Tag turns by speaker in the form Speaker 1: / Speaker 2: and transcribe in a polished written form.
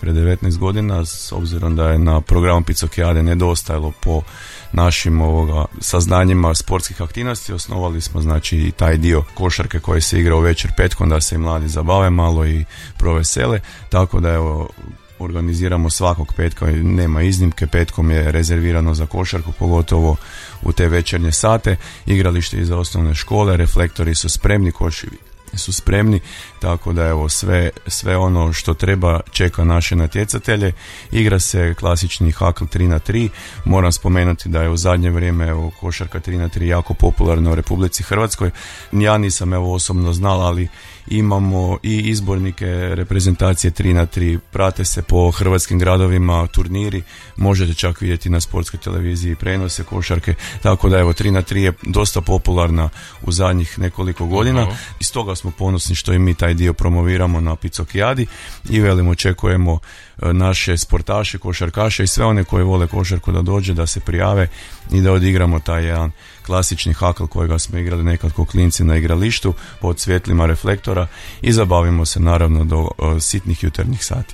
Speaker 1: prije 19 godina, s obzirom da je na programu Picokijade nedostajalo po našim saznanjima sportskih aktivnosti. Osnovali smo znači i taj dio košarke koji se igra u večer petkom, da se i mladi zabave malo i provesele, tako da evo organiziramo svakog petka, nema iznimke, petkom je rezervirano za košarku, pogotovo u te večernje sate. Igralište i za osnovne škole, reflektori su spremni, koševi su spremni, tako da evo sve ono što treba čeka naše natjecatelje. Igra se klasični hakl 3-3. Moram spomenuti da je u zadnje vrijeme košarka 3-3 jako popularna u Republici Hrvatskoj. Ja nisam osobno znal, ali imamo i izbornike reprezentacije 3-3, prate se po hrvatskim gradovima turniri, možete čak vidjeti na sportskoj televiziji prenose košarke, tako da 3-3 je dosta popularna u zadnjih nekoliko godina i stoga smo ponosni što i mi taj dio promoviramo na Picokijadi i očekujemo naše sportaše, košarkaše i sve one koji vole košarku da dođe, da se prijave i da odigramo taj jedan klasični hakl kojega smo igrali nekad ko klinci na igralištu pod svjetlima reflektora i zabavimo se naravno do sitnih jutarnjih sati.